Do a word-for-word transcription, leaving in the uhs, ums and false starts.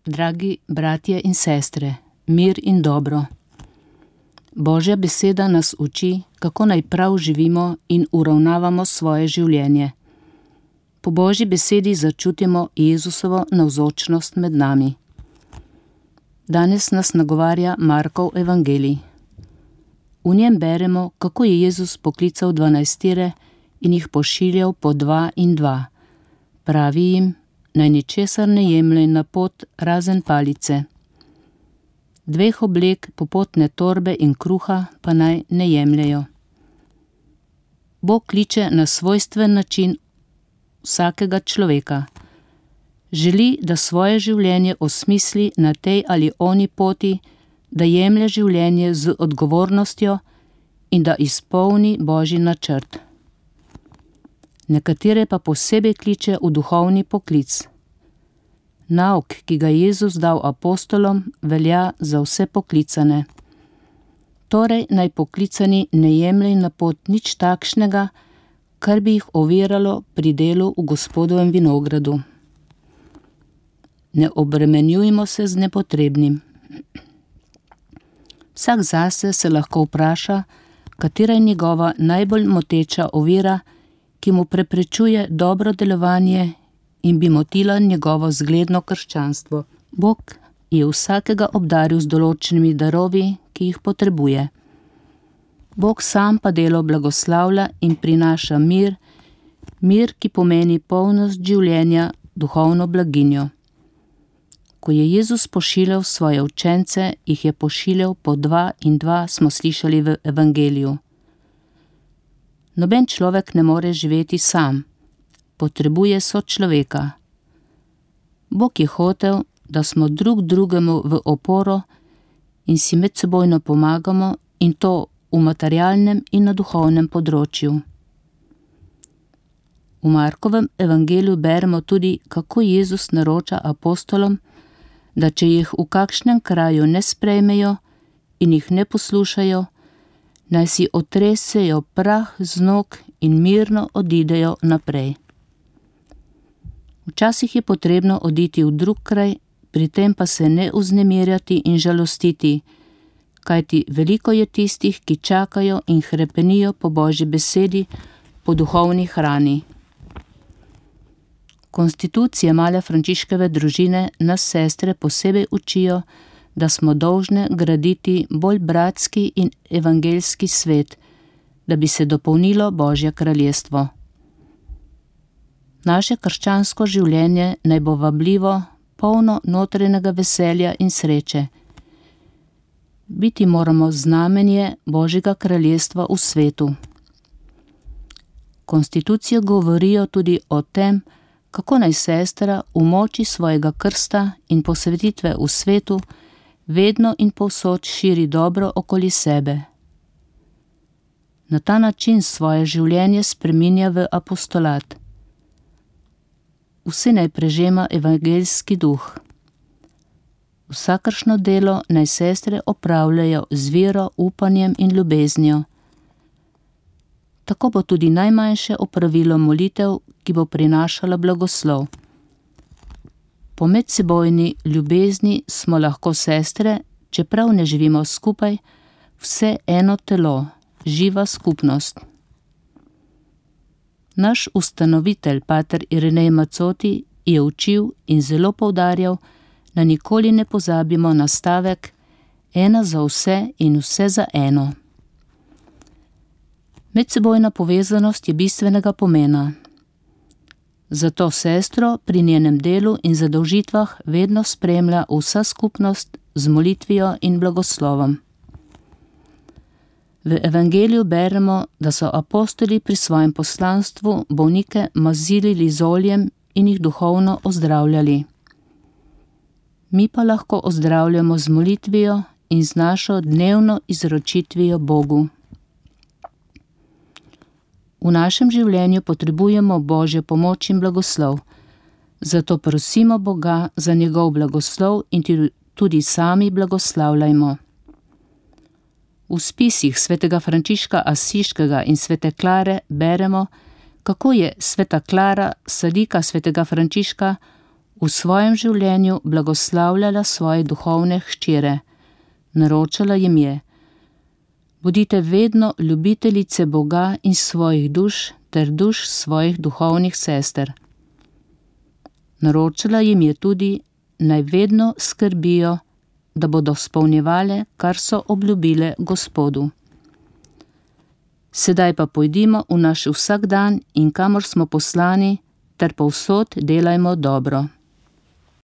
Dragi bratje in sestre, mir in dobro. Božja beseda nas uči, kako naj prav živimo in uravnavamo svoje življenje. Po Božji besedi začutimo Jezusovo navzočnost med nami. Danes nas nagovarja Markov evangelij. V njem beremo, kako je Jezus poklical dvanajstire in jih pošiljal po dva in dva. Pravi jim, naj ničesar ne jemljejo na pot razen palice. Dveh oblek, popotne torbe in kruha pa naj ne jemljejo. Bog kliče na svojstven način vsakega človeka. Želi, da svoje življenje osmisli na tej ali oni poti, da jemlje življenje z odgovornostjo in da izpolni Božji načrt. Nekatere pa posebej kliče v duhovni poklic. Nauk, ki ga je Jezus dal apostolom, velja za vse poklicane. Torej naj poklicani ne jemljejo na pot nič takšnega, kar bi jih oviralo pri delu v Gospodovem vinogradu. Ne obremenjujmo se z nepotrebnim. Vsak zase se lahko vpraša, katera je njegova najbolj moteča ovira, ki mu preprečuje dobro delovanje in bi motila njegovo zgledno krščanstvo. Bog je vsakega obdaril z določenimi darovi, ki jih potrebuje. Bog sam pa delo blagoslavlja in prinaša mir, mir, ki pomeni polnost življenja, duhovno blaginjo. Ko je Jezus pošiljal svoje učence, jih je pošiljal po dva in dva, smo slišali v evangeliju. Noben človek ne more živeti sam, potrebuje sočloveka. Bog je hotel, da smo drug drugemu v oporo in si medsebojno pomagamo, in to v materialnem in na duhovnem področju. V Markovem evangeliju beremo tudi, kako Jezus naroča apostolom, da če jih v kakšnem kraju ne sprejmejo in jih ne poslušajo, naj si otresejo prah z nog in mirno odidejo naprej. Včasih je potrebno oditi v drug kraj, pri tem pa se ne vznemirjati in žalostiti, kajti veliko je tistih, ki čakajo in hrepenijo po Božji besedi, po duhovni hrani. Konstitucije male Frančiškove družine nas sestre posebej učijo, da smo dolžne graditi bolj bratski in evangeljski svet, da bi se dopolnilo Božje kraljestvo. Naše krščansko življenje naj bo vabljivo, polno notranjega veselja in sreče. Biti moramo znamenje Božjega kraljestva v svetu. Konstitucije govorijo tudi o tem, kako naj sestra v moči svojega krsta in posvetitve v svetu vedno in povsod širi dobro okoli sebe. Na ta način svoje življenje spreminja v apostolat. Vsi naj prežema evangeljski duh. Vsakršno delo naj sestre opravljajo z vero, upanjem in ljubeznijo. Tako bo tudi najmanjše opravilo molitev, ki bo prinašala blagoslov. Po medsebojni ljubezni smo lahko sestre, čeprav ne živimo skupaj, vse eno telo, živa skupnost. Naš ustanovitelj, pater Irinej Macoti, je učil in zelo poudarjal, da nikoli ne pozabimo na stavek ena za vse in vse za eno. Medsebojna povezanost je bistvenega pomena. Zato sestro pri njenem delu in zadolžitvah vedno spremlja vsa skupnost z molitvijo in blagoslovom. V evangeliju beremo, da so apostoli pri svojem poslanstvu bolnike mazili z oljem in jih duhovno ozdravljali. Mi pa lahko ozdravljamo z molitvijo in z našo dnevno izročitvijo Bogu. V našem življenju potrebujemo Božjo pomoč in blagoslov, zato prosimo Boga za njegov blagoslov in tudi sami blagoslavljajmo. V spisih svetega Frančiška Asiškega in svete Klare beremo, kako je sveta Klara, sadika svetega Frančiška, v svojem življenju blagoslavljala svoje duhovne hčere. Naročala jim je: bodite vedno ljubiteljice Boga in svojih duš ter duš svojih duhovnih sester. Naročala jim je tudi, naj vedno skrbijo, da bodo izpolnjevale, kar so obljubile Gospodu. Sedaj pa pojdimo v naš vsakdan in kamor smo poslani, ter povsod delajmo dobro.